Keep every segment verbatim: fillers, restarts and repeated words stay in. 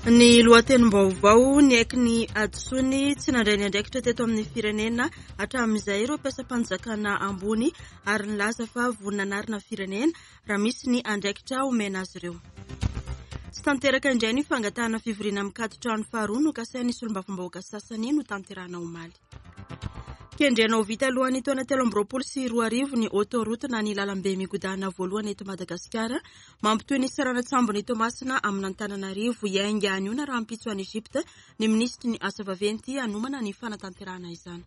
Ny lohatenim-baovao niaiky ny hadisoany tsy nandray ny andraikitra teto amin'ny firenena hatramin'izay ireo mpiasam-panjakana ambony ary nilaza fa vonona hanarina firenena raha misy ny andraikitra omena azy ireo. Tsy tanteraka indray ny fangatahana fivoriana mikaton-trano faharoa nokasain'ny solombavambahoaka sasany notanterahina omaly. Kendrena ho vita alohan'ny taona telo amby roapolo sy roa arivo ny autoroute na ny lalambe migodana voalohany eto Madagasikara mampitohy ny seranan-tsambon'i Toamasina amin'Antananarivo. Hiainga anio na rahampitso any Egypte ny minisitry ny asa vaventy hanomana ny fanatanterahana izany.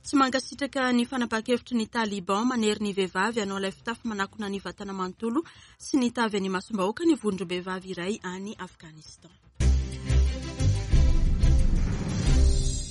Tsy mankasitraka ny fanapahan-kevitry ny Taliban manery ny vehivavy hanao ilay fitafy manakona ny vatana manontolo sy ny tavy any imasom-bahoaka ny vondrom-behivavy iray any Afghanistan.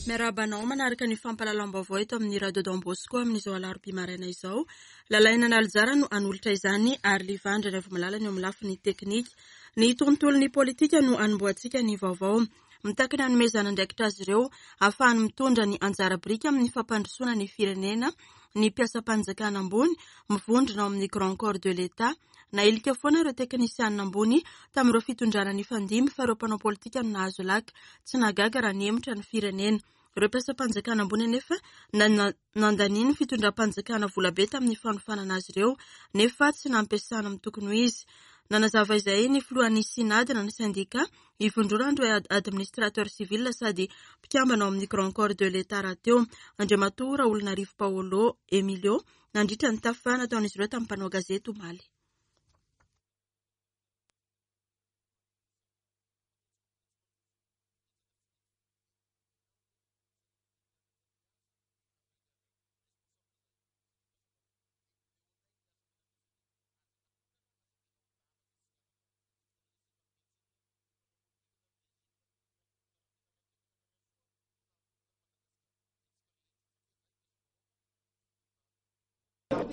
Miarahaba anao manaraka ny fampahalalam-baovao eto amin'ny Radio Don Bosco amin'izao alarobia maraina izao. Lalaina Nalijara no hanolotra izany ary Livandra Raivomalala ny eo amin'ny lafiny teknika. Ny tontolon'ny politika no hanombohantsika ny vaovao. Mitaky ny hanomezana andraikitra azy ireo ahafahany mitondra ny anjara biriky amin'ny fampandrosoana ny firenena ny mpiasam-panjakana ambony mivondrona ao amin'ny Grand Corps de l'État. Nailika foana ireo teknisianina ambony tamin'ireo fitondrana nifandimby fa ireo mpanao politika no nahazo laka. Tsy nahagaga raha nihemotra ny firenena. Ireo mpiasam-panjakana ambony anefa nandanian'ny fitondram-panjakana volabe tamin'ny fanofanana azy ireo nefa tsy nampiasana amin'ny tokony ho izy. Nanazava izay ny filohan'ny Synad na ny sendika ivondronan'ireo administrateur civil sady mpikambana ao amin'ny Grand Corps de l'État rahateo, Andriamatoa Raolonarivo Paolo Emilio, nandritra ny tafa nataon'izy ireo tamin'ny mpanao gazety omaly.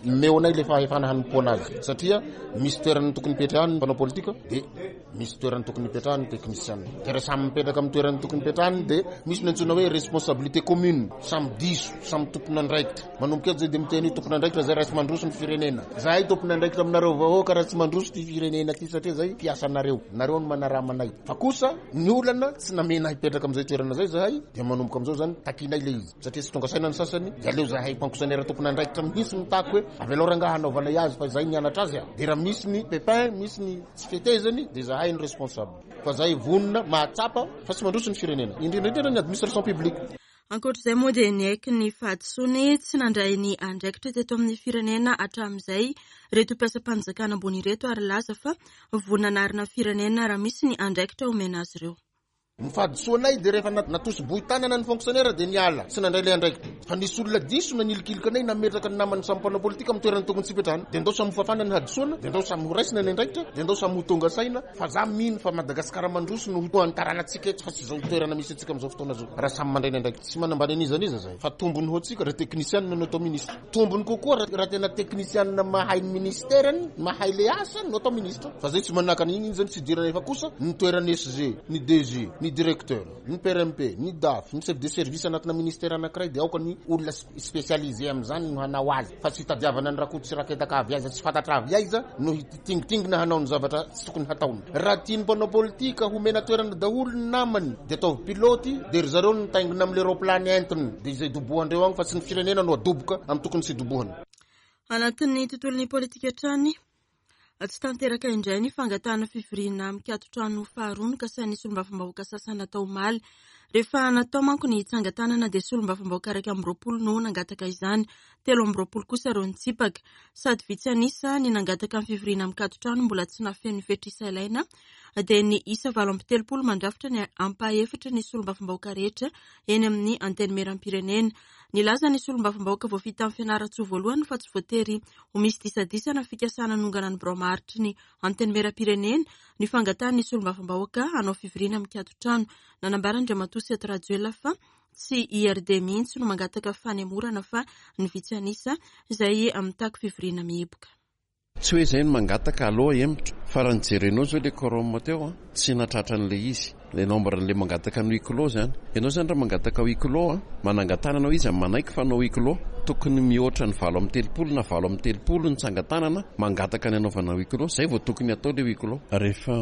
Omeo anay ilay fahefana hanompoana azy satria misy toerana tokony hipetrahany ny mpanao politika dia misy toerana tokony hipetrahany ny teknisiana. Dia raha samy mipetraka amin'ny toerana tokony hipetrahany dia misy ny antsoina hoe responsabilité commune, samy diso, samy tompon'andraikitra. Manomboka eto zay dia miteny hoe tompon'andraikitra zay raha tsy mandroso ny firenena. Zahay tompon'andraikitra aminareo vahoaka raha tsy mandroso ty firenena ty satria zay mpiasanareo, nareo no manarama anay. Fa kosa ny olana tsy namena hipetraka amin'izay toerana zay zahay dia manomboka amin'izao zany takinay ilay izy satria tsy tonga saina ny sasany dia aleo zahay fonctionnaire tompon'andraikitra mihitsy mitaky hoe avelao rangaha hanaovanay azy fa zay nianatra azy. Dia raha misy ny pépin, misy ny tsy fetezany dia zahay no responsable. Fa zahay vonona mahatsapa fa tsy mandroso ny firenena, indrindra indrindra ny administration publique. Ankoatr'izay moa dia niaiky ny fahadisoany tsy nandray ny andraikitra teto amin'ny firenena hatramin'izay ireto mpiasam-panjakana ambony ireto ary laza fa vonona hanarina firenena raha misy ny andraikitra omena azy ireo. Ny fahadisoanay dia rehefa natosiboy tanana ny fonctionnaire dia niala tsy nandray ilay andraikitra. Fa nisy olona diso nanilikilika anay nametraka ny namany samy mpanao politika amin'ny toerana tokony tsy hipetrahana. Dia ndao samy ho fafana ny hadisoana, dia ndao samy ho raisina ny andraikitra, dia ndao samy ho tonga saina fa za mino fa Madagasikara mandroso no ho antaranantsika eto fa tsy izao toerana misy antsika amin'izao fotoana izao. Raha samy mandray ny andraikitra tsy manambany an'iza an'iza zay fa tombony ho antsika raha teknisianina no atao ministra. Tombony kokoa raha tena teknisianina mahay ny ministerany, mahay le asa no atao ministra. Fa zay tsy manakana iny zany tsy idirana efa kosa ny toerana S G, ny D G, ny directeur, ny P R M P, ny D A F, ny chef de service anatina ministère anankiray dia aoka ny olona spécialisé amin'izany no hanao azy fa tsy hitadiavana ny rakoto sy raketaka avy aiza tsy fantatra avy aiza no hitingitingina hanao ny zavatra tsy tokony hataony. Raha tian'ny mpanao politika homena toerana daholo ny namany dia ataovy pilote dia ry zareo no mitaingina amin'ilay roplany entiny dia izay dobohandreo agny fa tsy ny firenena no adoboka amin'ny tokony tsy dobohana. Anatin'ny tontolon'ny politika hatrany, tsy tanteraka indray ny fangatahana fivoriana mikaton-trano faharoa nokasain'ny solombavambahoaka sasany natao omaly. Rehefa natao manko ny tsangan-tanana dia solombavambahoaka iraika amby roapolo no nangataka izany, telo amby roapolo kosa ireo nitsipaka. Sady vitsy an'isa ny nangataka ny fivoriana mikaton-trano mbola tsy nafeno ny fetr'isa ilaina dia ny isa valo amby telopolo mandrafitra ny ampahefatry ny solombavambahoaka rehetra eny amin'ny antenimieram-pirenena. Nilaza ny solombavambahoaka voafidy tamin'ny Fianarantsoa voalohany fa tsy voatery ho misy disadisa na fikasana hanongana ny birao maharitry ny antenimieram-pirenena ny fangatahan'ny solombavambahoaka hanao fivoriana mikaton-trano. Nanambara Andriamatoa Seth Rajoelina fa tsy I R D mihitsy no mangataka fanemorana fa ny vitsy an'isa izay mitaky fivoriana mihiboka. Tsy hoe izay no mangataka aloha hemotra fa raha nijerenao izao ilay quorum teo a, tsy nahatratra an'ilay izy. Ilay nombre an'ilay mangataka ny huis clos zany. Ianao zany raha mangataka huis clos a, manangan-tanana izy amin'ny manaiky fa hanao huis clos. Tokony mihoatra ny valo amby telopolo na valo amby telopolo ny tsangan-tanana mangataka ny hanaovana huis clos. Izay vao tokony hatao ilay huis clos. Rehefa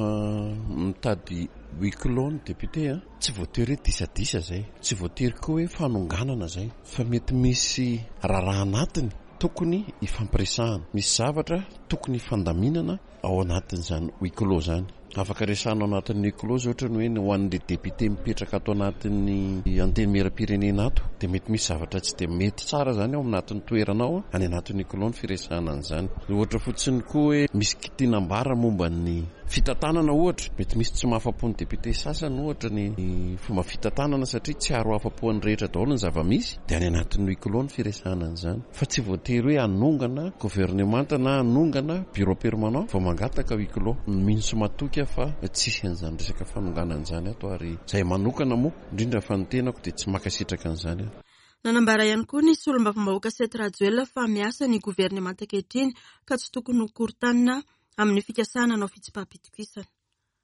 mitady Huis clos ny député a, tsy voatery hoe disadisa zay, tsy voatery koa hoe fanonganana zay, fa mety misy raharaha anatiny tokony hifampiresahana, misy zavatra tokony hifandaminana ao anatin'izany huis clos zany. Afaka resahana ao anatin'ny huis clos ohatra ny hoe ho an'le député mipetraka ato anatin'ny antenimieram-pirenena ato, dia mety misy zavatra tsy dia mety tsara zany ao anatin'ny toerana ao, any anatin'ny huis clos ny firesahana an'izany. Ohatra fotsiny koa hoe misy tiana ambara momba ny fitantanana ohatra, mety misy tsy mahafa-po ny député sasany ohatra ny fomba fitantanana satria tsy aro afa-po ny rehetra daholo ny zava-misy, dia any anatin'ny huis clos ny firesahana an'izany. Fa tsy voatery hoe hanongana gouvernement na hanongana bureau permanent vao mangataka huis clos. Mino sy matoky fa tsisy an'izany resaka fanonganana izany ato, ary izay manokana moa indrindra fa ny tenako dia tsy mankasitraka an'izany aho. Nanambara ihany koa ny solombavambahoaka Seth Rajoelina fa miasa ny governemanta ankehitriny ka tsy tokony ho korontanina amin'ny fikasana hanao fitsipaham-pitokisana.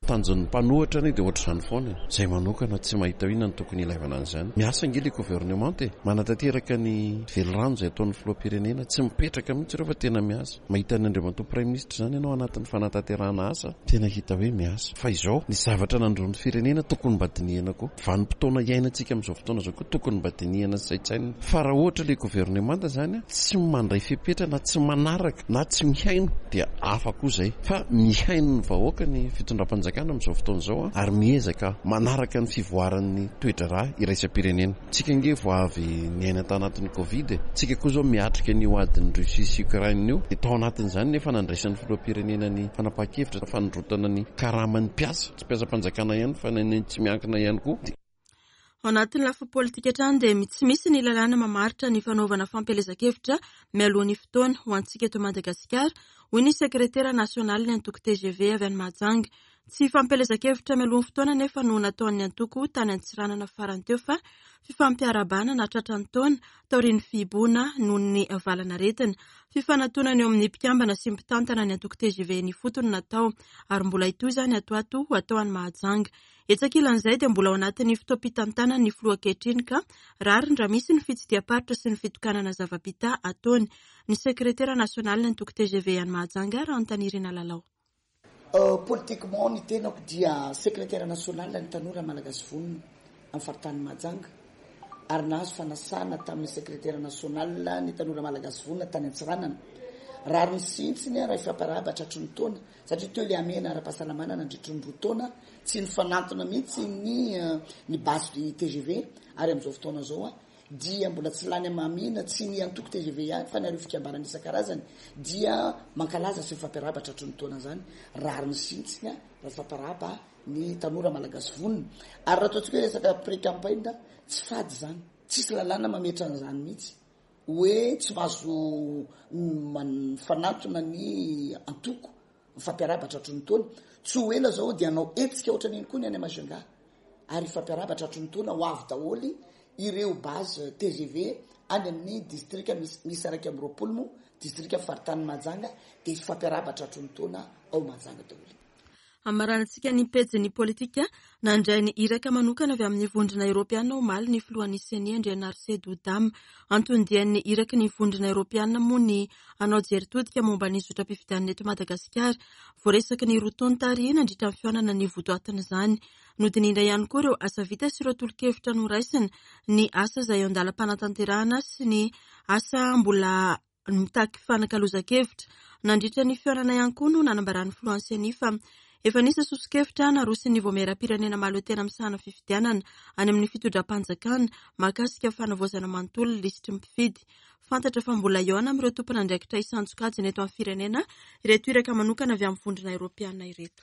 Tanjon'ny mpanohitra anie dia ohatr'izany foana. Izay manokana tsy mahita inona no tokony ilaivana an'izany. Miasa ange ilay gouvernement e, manatanteraka ny velirano izay ataon'ny filoham-pirenena, tsy mipetraka mihitsy ireo fa tena miasa. Mahita ny andriamatoa premier ministre izany ianao anatin'ny fanatanterahana asa, tena hita hoe miasa. Fa izao, ny zavatra nandroan'ny firenena tokony mba dinihana koa. Vanim-potoana iainantsika amin'izao fotoana izao koa tokony mba dinihana sy saintsainina. Fa raha ohatra ilay gouvernement izany tsy mandray fepetra na tsy manaraka na tsy mihaino dia hafa koa izay. Fa mihaino ny vahoaka ny fitondram-panjakana amin'izao fotoana izao ary miezaka manaraka ny fivoaran'ny toe-draharaha iraisam-pirenena. Tsika ange vao avy niaina tanatin'ny Covid e. Tsika koa izao miatrika ny adin'ny Russie sy Ukraine io. Dia tao anatin'izany nefa nandraisan'ny filoham-pirenena ny fanapahan-kevitra fanondrotana ny karaman'ny mpiasa, tsy mpiasam-panjakana ihany fa ny tsy miankina ihany koa. Ao anatin'ny lafiny politika hatrany dia tsy misy ny lalàna mamaritra ny fanaovana fampielezan-kevitra mialoha ny fotoana ho antsika eto Madagasikara, hoy ny sekretera nasionalin'ny antoko T G V avy any Mahajanga. Tsy fampielezan-kevitra mialoha ny fotoana nefa no nataon'ny antoko tany Antsiranana farany teo fa fifampiarahabana nahatratra ny taona taorian'ny fihibohana noho ny valanaretina. Fifanantonana eo amin'ny mpikambana sy mpitantana ny antoko T G V ny fotony natao ary mbola hitohy izany ato ato ho atao any Mahajanga. Etsy ankilan'izay dia mbola ao anatin'ny fotoam-pitantanana ny filoha ankehitriny ka rariny raha misy ny fitsidiham-paritra sy ny fitokanana zava-bita ataony. Ny sekretera nasionalin'ny antoko T G V any Mahajanga, Rahantanirina Lalao. Politiquement ny tenako dia sekretera national ny tanora malagasy vonona amin'ny faritany Mahajanga ary nahazo fanasana tamin'ny sekretera national ny tanora malagasy vonona tany Antsiranana. Rariny sintsiny raha ifampiarahaba tratry ny taona satria teo ilay hamehana ara-pahasalamana nandritry ny roa taona tsy nifanantona mihitsy ny ny base du T G V ary amin'izao fotoana izao a dia mbola tsy lany amamina tsy ny antoko T G V ihany fa ny ireo fikambanana isan-karazany dia mankalaza sy mifampiarahaba tratry ny taona izany. Rariny sintsiny a raha ifampiarahaba ny tanora malagasy vonona. Ary raha ataontsika hoe resaka pré-campagne tsy fady izany, tsisy lalàna mametra an'izany mihitsy hoe tsy mahazo mifanantona ny antoko mifampiarahaba tratry ny taona. Tsy ho ela zao dia hanao hetsika ohatran'iny koa ny any Majunga ary hifampiarahaba tratry ny taona ho avy daholo ireo base T G V any amin'ny distrika misy, misy iraika amby roapolo moa distrika faritany Mahajanga dia hifampiarahaba tratry ny taona ao Mahajanga daholo. Amaranantsika ny pejin'ny politika, nandray ny iraka manokana avy amin'ny vondrona eoropeana omaly ny filohan'ny C E N I Andrianarisedo Dama. Anton-dian'ny iraky ny vondrona eoropeana moa ny hanao jery todika momba ny zotram-pifidianana eto Madagasikara. Voaresaky ny roa tonta ary nandritra ny fihaonana ny votoatin'izany. Nodinihina ihany koa ireo asa vita sy ireo tolo-kevitra noraisina, ny asa izay eo an-dalam-panatanterahana sy ny asa mbola mitaky fanakalozan-kevitra. Nandritra ny fihaonana ihany koa no nanambaran'ny filohan'ny C E N I fa efa nisy soso-kevitra narosin'ny Vaomieram-pirenena mahaleo tena misahana fifidianana any amin'ny fitondram-panjakana mahakasika fanavaozana manontolo ny lisitry ny mpifidy. Fantatra fa mbola hihaona amin'ireo tompon'andraikitra isan-tsokajiny eto amin'ny firenena ireto iraka manokana avy amin'ny vondrona eoropeana ireto.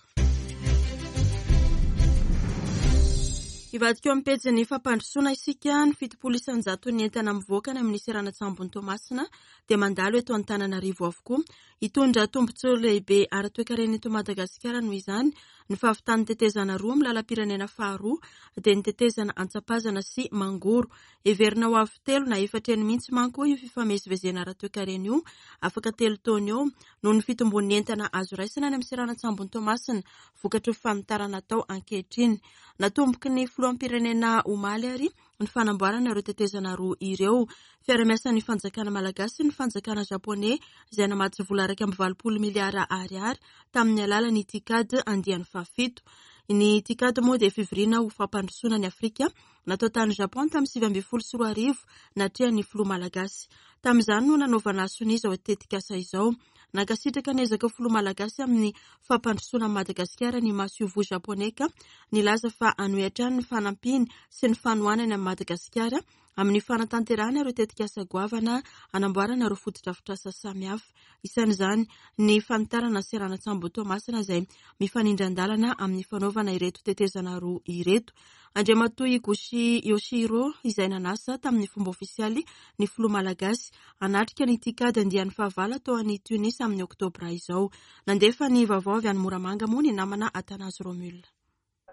Hivadika eo amin'ny pejin'ny fampandrosoana isika, ny fitopolo isan-jaton'ny entana mivoaka any amin'ny seranan-tsambon'i Toamasina dia mandalo eto Antananarivo avokoa. Hitondra tombontsoa lehibe ara-toekarena eto Madagasikara noho izany ny fahavitan'ny tetezana roa amin'ny lalam-pirenena faharoa dia ny tetezana Antsapazana sy Mangoro. Heverina ho avy telo na efatra eny mihitsy manko io fifamezivezena ara-toekarena io afaka telo taona eo noho ny fitombon'ny entana azo raisina any amin'ny seranan-tsambon'i Toamasina vokatry ny fanitarana atao ankehitriny. Natomboky ny filoham-pirenena omaly ary ny fanamboarana ireo tetezana roa ireo. Fiarahamiasan'ny fanjakana malagasy sy ny fanjakana japoney izay namatsy vola iraika amby valopolo miliara ariary tamin'ny alalan'ny TICAD andiany fahafito. Ny TICAD moa dia fivoriana ho fampandrosoana ny Afrika natao tany Japon tamin'ny sivy ambin'ny folo sy roa arivo natrehan'ny filoha malagasy. Tamin'izany no nanaovana sonia izao tetikasa izao. Nankasitraka ny ezaka filoha malagasy amin'ny fampandrosoana an'i Madagasikara ny masoivoho japoney ka nilaza fa hanohy hatrany ny fanampiany sy ny fanohanany amin'i Madagasikara amin'ny fanatanterahana ireo tetikasa goavana hanamboarana ireo fotodrafitrasa samihafa. Isan'izany ny fanitarana seranan-tsambo Toamasina izay mifanindran-dalana amin'ny fanaovana ireto tetezana roa ireto. Andriamatoa Higuchi Yoshihiro izay nanasa tamin'ny fomba ofisialy ny filoha malagasy hanatrika ny TICAD andiany fahavalo atao any Tunis amin'ny oktobra izao. Nandefa ny vaovao avy any Moramanga moa ny namana Athanase Romule.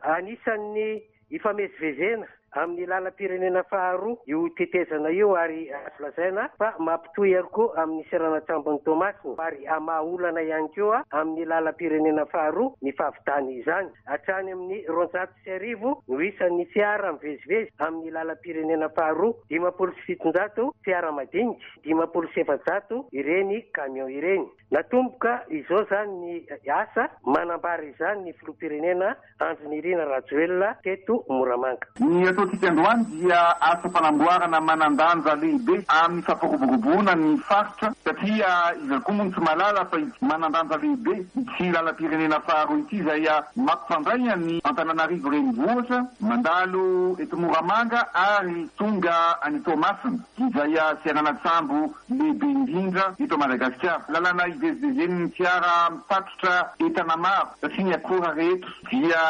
Anisan'ny ifamezivezena amin'ny lalam-pirenena faharoa io tetezana io ary azo lazaina fa mampitohy ihany koa amin'ny seranan-tsambon'i Toamasina ary hamaha olana ihany koa amin'ny lalam-pirenena faharoa ny fahavitany izany. Hatrany amin'ny roanjato sy arivo no isan'ny fiara mivezivezy amin'ny lalam-pirenena faharoa, dimampolo sy fitonjato fiara madinika, dimampolo sy efajato ireny camion ireny. Natomboka izao izany ny asa manambara izany ny filoham-pirenena Andry Nirina Rajoelina teto Moramanga. Ny ataontsika androany dia asa fanamboarana manan-danja lehibe amin'ny fampiroboroboana ny faritra satria iza koa moa no tsy mahalala fa manan-danja lehibe ity lalam-pirenena faharoa ity izay mampifandray ny Antananarivo renivohitra mandalo eto Moramanga ary tonga any Toamasina izay seranan-tsambo lehibe indrindra eto Madagasikara. Lalana ivezivezen'ny fiara mitatitra entana maro satria ny akora rehetra dia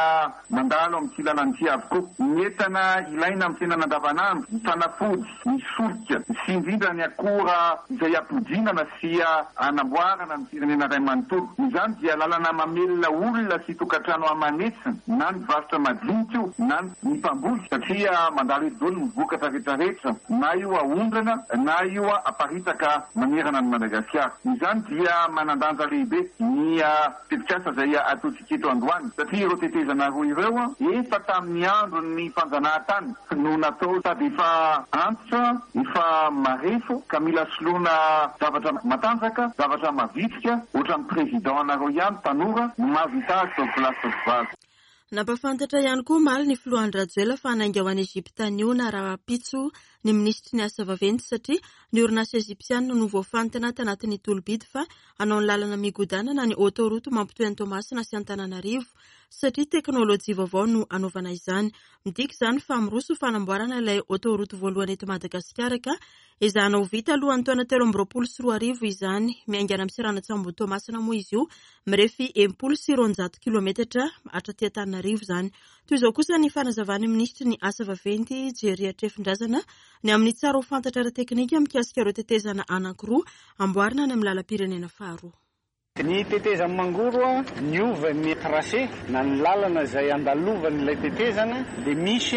mandalo amin'ity lalana ity avokoa. Ny entana ilaina amin'ny fiainana andavanandro, ny fanafody, ny solika, sy indrindra ny akora izay ampodinana sy anamboarana ny firenena iray manontolo. Izany dia lalana mamelona olona sy tokantrano aman'hetsiny na ny varotra madinika io na ny mpamboly satria mandalo eto daholo ny vokatra rehetrarehetra na io aondrana na io aparitaka manerana ny Madagasikara. Izany dia manan-danja lehibe ny tetikasa izay ataontsika eto androany satria ireo tetezana roa ireo efa tamin'ny andron'ny fanjanahantany no natao sady efa antitra, efa marefo ka mila soloana zavatra matanjaka, zavatra mavitrika ohatran'ny président anareo ihany tanora no mahavita azy tao place vavy. Nampafantatra ihany koa omaly ny filoha Andry Rajoelina fa hanainga ho any Egypta anio na rahampitso ny minisitry ny asa vaventy satria ny orinasa egyptiana no voafantina tanatin'ny tolo-bidy fa hanao ny lalana migodana na ny autoroute mampitohy an'i Toamasina sy Antananarivo satria teknôlôjia vaovao no hanaovana izany. Midika izany fa miroso fanamboarana ilay autoroute voalohany eto Madagasikara ka ezahana ho vita alohan'ny taona telo amby roapolo sy roa arivo izany. Miaingana amin'ny seranan-tsambo Toamasina moa izy io, mirefy enimpolo sy roanjato kilometatra hatraty Antananarivo izany. Toy izao kosa ny fanazavan'ny minisitry ny asa vaventy Jerry Hatrefindrazana ny amin'ny tsara ho fantatra ara-teknika mikasika ireo tetezana anankiroa amboarina any amin'ny lalam-pirenena faharoa. Ny tetezana Mangoro niova ny tracé na ny lalana izay andalovan'ilay tetezana dia misy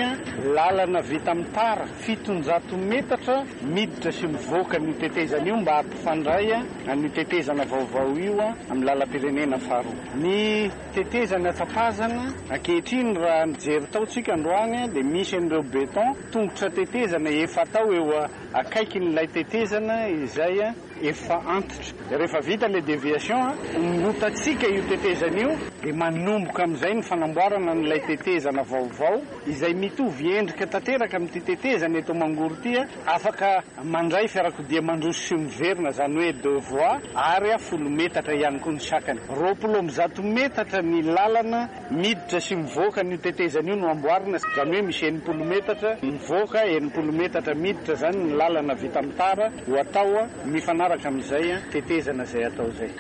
lalana vita amin'ny tara fitonjato metatra miditra sy mivoaka ny tetezana io mba hampifandray ny tetezana vaovao io amin'ny lalam-pirenena faharoa. Ny tetezana Tsapazana ankehitriny raha nijery tao tsika androany dia misy an'ireo béton tongotra tetezana efa atao eo akaikin'ilay tetezana izay efa antitra. Rehefa vita le déviation ongotantsika io tetezana io dia manomboka amin'izay ny fanamboarana an'ilay tetezana vaovao izay mitovy endrika tanteraka amin'ity tetezana eto Mangoro ity, afaka mandray fiarakodia mandroso sy miverina, izany hoe deux voies ary folo metatra ihany koa ny sakany. Roapolo amby zato metatra ny lalana miditra sy mivoaka an'io tetezana io no amboarina, izany hoe misy enimpolo metatra mivoaka, enimpolo metatra miditra, izany ny lalana vita amin'ny tara ho atao mifanaraka amin'izay tetezana izay atao izay.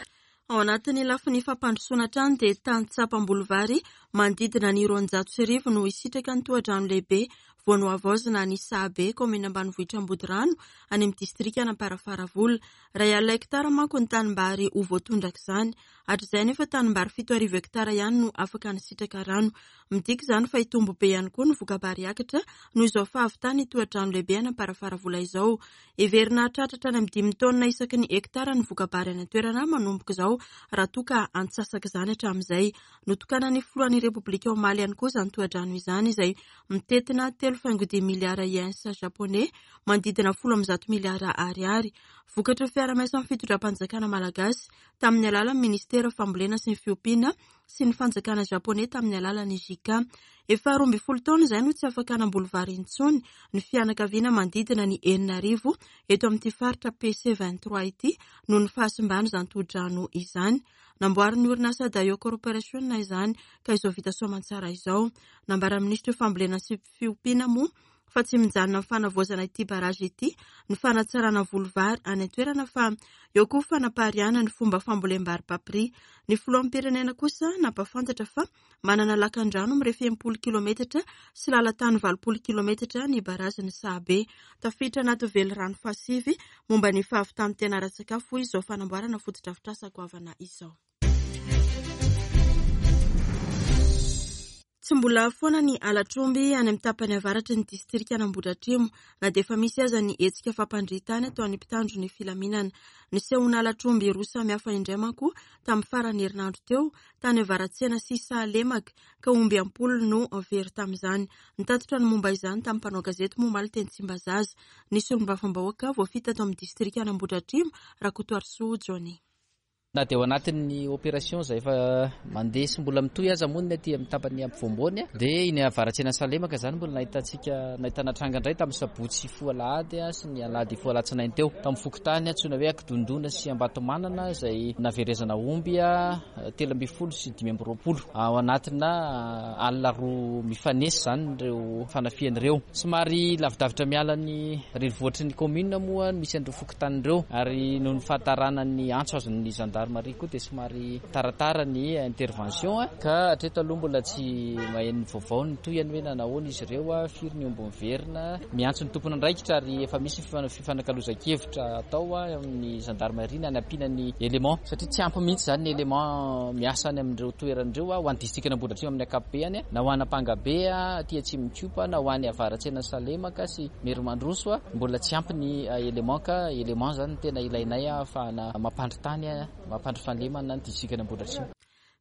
Ao anatin'ny lafiny fampandrosoana hatrany dia tantsaha mpamboly vary manodidina ny roanjato sy arivo no hisitraka ny tohadrano lehibe vao nohavaozina ny Sahabe, kaominina ambanivohitra Ambodirano, any amin'ny distrikan'Amparafaravola. Iray alina hektara manko ny tanimbary ho voatondraka izany. Hatrizay nefa tanimbary fito arivo hektara ihany no afaka nisitraka rano. Midika izany fa hitombo be ihany koa ny voka-bary hiakatra noho izao fahavitany tohadrano lehibe any Amparafaravola izao. Heverina hahatratra hatrany amin'ny dimy taonina isaky ny hektara ny voka-bary any an-toerana manomboka izao raha toa ka antsasaka izany hatramin'izay. Notokanan'ny filoha ny Repoblika omaly ihany koa izany tohadrano izany, izay mitentina telo faingo dimy miliara yens japoney, manodidina folo amby zato miliara ariary. Vokatry ny fiarahamiasan'ny fitondram-panjakana malagasy tamin'ny alalan'ny ministera fambolena sy ny fiompiana sy ny fanjakana japoney tamin'ny alalan'ny JICA. Efa roa ambin'ny folo taona izay no tsy afaka namboly vary intsony ny fianakaviana manodidina ny enina arivo eto amin'ity faritra P C vingt-trois ity noho ny fahasimban'izany tohadrano izany. Namboarin'ny orinasa Daio Corporation izany ka izao vita soamantsara izao. Nambaran'ny minisitry ny fambolena sy fiompiana moa fa tsy mijanona amin'ny fanavaozana ity barazy ity ny fanatsarana voly vary any an-toerana fa eo koa fanapariahana ny fomba fambolem-bary papri. Ny filoham-pirenena kosa nampahafantatra fa manana lakan-drano mirefy enimpolo kilometatra sy lalan-tany valopolo kilometatra ny barazin'ny Sahabe. Tafiditra anaty velirano fahasivy momba ny fahavitan'ny tena ara-tsakafo izao fanamboarana fotodrafitrasa goavana izao. Tsy mbola foana ny halatr'omby any amin'ny tapany avaratry ny distrikan'Ambohidratrimo na dia efa misy aza ny hetsika fampandritana ataon'ny mpitandro ny filaminana. Nisehoana halatr'omby roa samihafa indray manko tamin'ny faran'ny herinandro teo tany Avaratsena sy Sahalemaka ka omby am-polo no very tamin'izany. Nitatitra ny momba izany tamin'ny mpanao gazety moa omaly teny Tsimbazaza ny solombavambahoaka voafita tao amin'ny distrikan'Ambohidratrimo, Rakotoarisoa Johnny. Na dia ao anatin'ny opération izay efa mandeha sy mbola mitohy aza moa ny aty amin'ny tapany ampovoamboany dia iny Avaratsena Sahalemaka izany mbola nahitantsika nahitana tranga indray tamin'ny sabotsy hifoha alahady sy ny alahady hifoha alatsinainy teo tamin'ny fokontany antsoina hoe Ankidondona sy Ambatomanana izay naverezana omby telo ambin'ny folo sy dimy amby roapolo ao anatina alina roa mifanesy izany ireo fanafihana ireo. Somary lavidavitra miala ny renivohitry ny commune moa misy an'ireo fokontany ireo ary noho ny fahatarana ny antso azon'ny gendarmerie koa dia somary taratara ny intervention ka hatreto aloha mbola tsy maheno vaovao ny tohiny hoe nanahoana izy ireo, firy ny omby miverina. Miantso ny tompon'andraikitra ary efa misy fifanakalozan-kevitra atao amin'ny gendarmerie na nampiana ny élément satria tsy ampy mihitsy izany ny élément miasa any amin'ireo toerana ireo ho an'ny distrikan'Ambohidratrimo amin'ny ankapobeny na ho any Ampangabe aty Atsimo-Mikopa na ho any Avaratsena Sahalemaka sy Merimandroso mbola tsy ampy ny élément ka élément izany tena ilainay ahafahana mampandry tany mampandry fahalemana ny distrikan'Ambohidratrimo.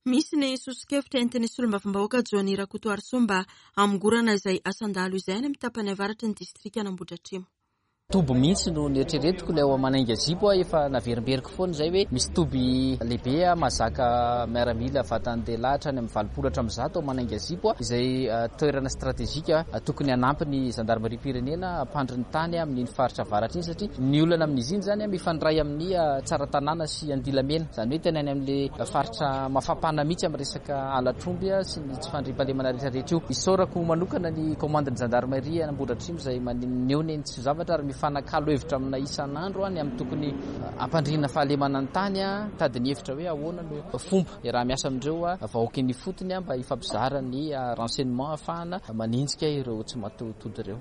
Misy ny soso-kevitra entin'ny solombavambahoaka Johnny Rakotoarisoa mba hamongorana izay asan-dahalo izay any amin'ny tapany avaratry ny distrikan'Ambohidratrimo. Toby mihitsy no nieritreretiko ilay ao Manainga Zipo efa naverimberiko foana izay hoe misy toby lehibe mahazaka miaramila vatan-dehilahy hatrany amin'ny valopolo hatramin'ny zato ao Manainga Zipo izay toerana stratejika tokony hanampy ny gendarmerie-pirenena hampandry ny tany amin'iny faritra avaratra iny satria ny olana amin'izy iny izany mifandray amin'ny Tsaratanàna sy Andilamena, izany hoe tena any amin'ilay faritra mafampana mihitsy amin'ny resaka halatr'omby sy ny tsy fandriampahalemana rehetrarehetra io. Isaorako manokana ny commande ny gendarmerie Ambohidratrimo izay maneho ny tsy zavatra ary mifanakalo hevitra amina isan'andro any amin'ny tokony hampandriana fahalemana ny tany, tady ny hevitra hoe ahoana no fomba raha miasa amin'ireo vahoaka eny ifotony mba hifampizara ny renseignement ahafahana manenjika ireo tsy mataho-tody ireo.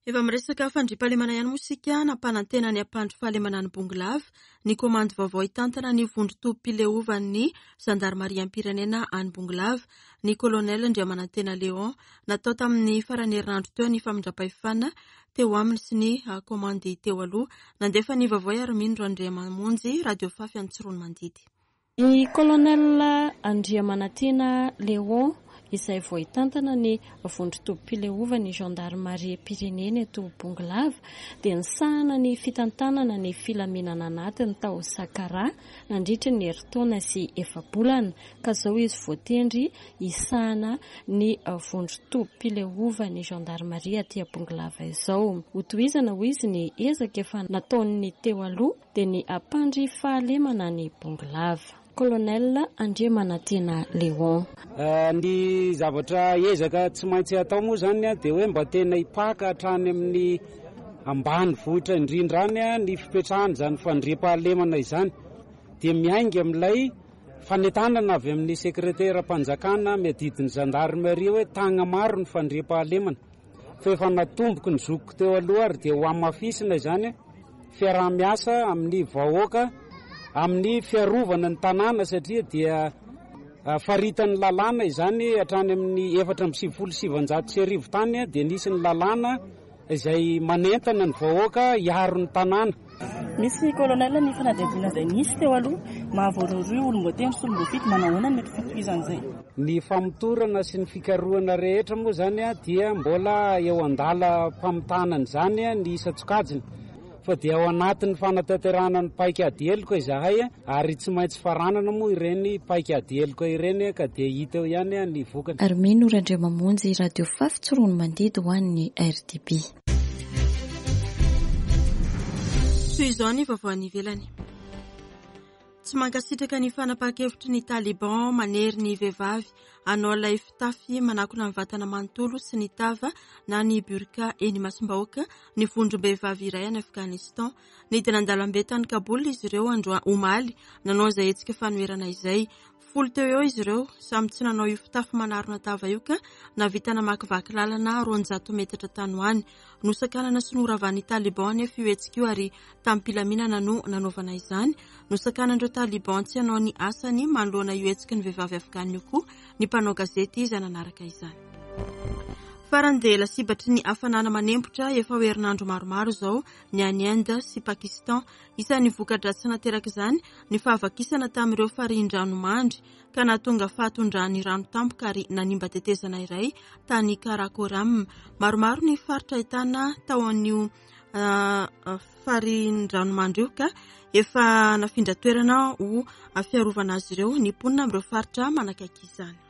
Efa miresaka fandriampahalemana ihany moa isika. Nampanantena ny hampandry fahalemana ny Bongolava ny komandy vaovao hitantana ny vondron-tobim-pileovan'ny zandarimariam-pirenena any Bongolava, ny kolonel Andriamanantena Léon. Natao tamin'ny faran'ny herinandro teo ny famindram-pahefana teo aminy sy ny komandy teo aloha. Nandefa ny vaovao Armino Randriamamonjy, Radio Fafy Antsiroanomandidy. Ny kolonel Andriamanantena Léon izay vao hitantana ny vondron-tobim-pileovan'ny gendarmerie-pirenena eto Bongolava dia nisahana ny fitantanana ny filaminana anatiny tao Sakara nandritra ny herintaona sy efa-bolana ka izao izy voatendry hisahana ny vondron-tobim-pileovan'ny gendarmerie aty Bongolava izao. Hotohizana hoy izy ny ezaka efa nataon'ny teo aloha dia ny hampandry fahalemana ny Bongolava. Colonel Andriamanantena Léon. Ny zavatra ezaka tsy maintsy atao moa zany dia hoe mba tena hipaka hatrany amin'ny ambany vohitra indrindra any ny fipetrahana izany fandriampahalemana izany dia miainga amin'ilay fanentanana avy amin'ny sekretera-mpanjakana miadidy ny gendarmerie hoe tagna maro ny fandriampahalemana fa efa natomboky ny zokiko teo aloha ary dia ho hamafisina izany fiaraha-miasa amin'ny vahoaka amin'ny fiarovana ny tanàna satria dia faritan'ny lalàna izany hatrany amin'ny efatra amby sivifolo sy sivanjato sy arivo tany dia nisy ny lalàna izay manentana ny vahoaka hiaro ny tanàna. Misy colonel ny fanadihadiana izay nisy teo aloha mahavoarohirohy olom-boatendry sy olom-boafidy. Manahoana ny mety fitohizan'izay? Ny famotorana sy ny fikarohana rehetra moa zany a dia mbola eo an-dalam-pamitana izany ny isan-tsokajiny, fa dia ao anatin'ny fanatanterahana ny paika ady heloka izahay, ary tsy maintsy faranana moa ireny paika ady heloka ireny, ka dia hita eo ihany ny vokany. Ary Mino Randriamamonjy, Radio Fafy Tsiroanomandidy ho an'ny R D B. Toy izao ny vaovao any ivelany. Tsy mankasitraka ny fanapahan-kevitry ny Taliban manery ny vehivavy hanao ilay fitafy manakona ny vatana manontolo sy ny tava na ny burka eny imasom-bahoaka ny vondrom-behivavy iray any Afghanistan. Nidina an-dalambe tany Kaboul izy ireo andro omaly nanao izay hetsika fanoherana izay. Folo teo eo izy ireo samy tsy nanao io fitafy manarona tava io ka nahavita namakivaky lalana roanjato metatra tany ho any. Nosakanana sy noravan'ny Taliban nefa io hetsika io, ary tamim-pilaminana no nanaovana izany. Nosakanan'ireo Taliban tsy hanao ny asany manoloana io hetsiky ny vehivavy afghan io koa ny mpanao gazety izay nanaraka izany. Farany dia lasibatry ny hafanana manempotra efa ho herinandro maromaro izao ny any Inde sy Pakistan. Isan'ny voka-dratsy nateraka izany ny fahavakisana tamin'ireo farihin-dranomandry ka nahatonga fahatondrahan'ny rano tampoka ary nanimba tetezana iray tany Karakoram. Maromaro ny faritra ahitana tao an'io farihin-dranomandry io ka efa nafindra toerana ho fiarovana azy ireo ny mponina amin'ireo faritra manakaiky izany.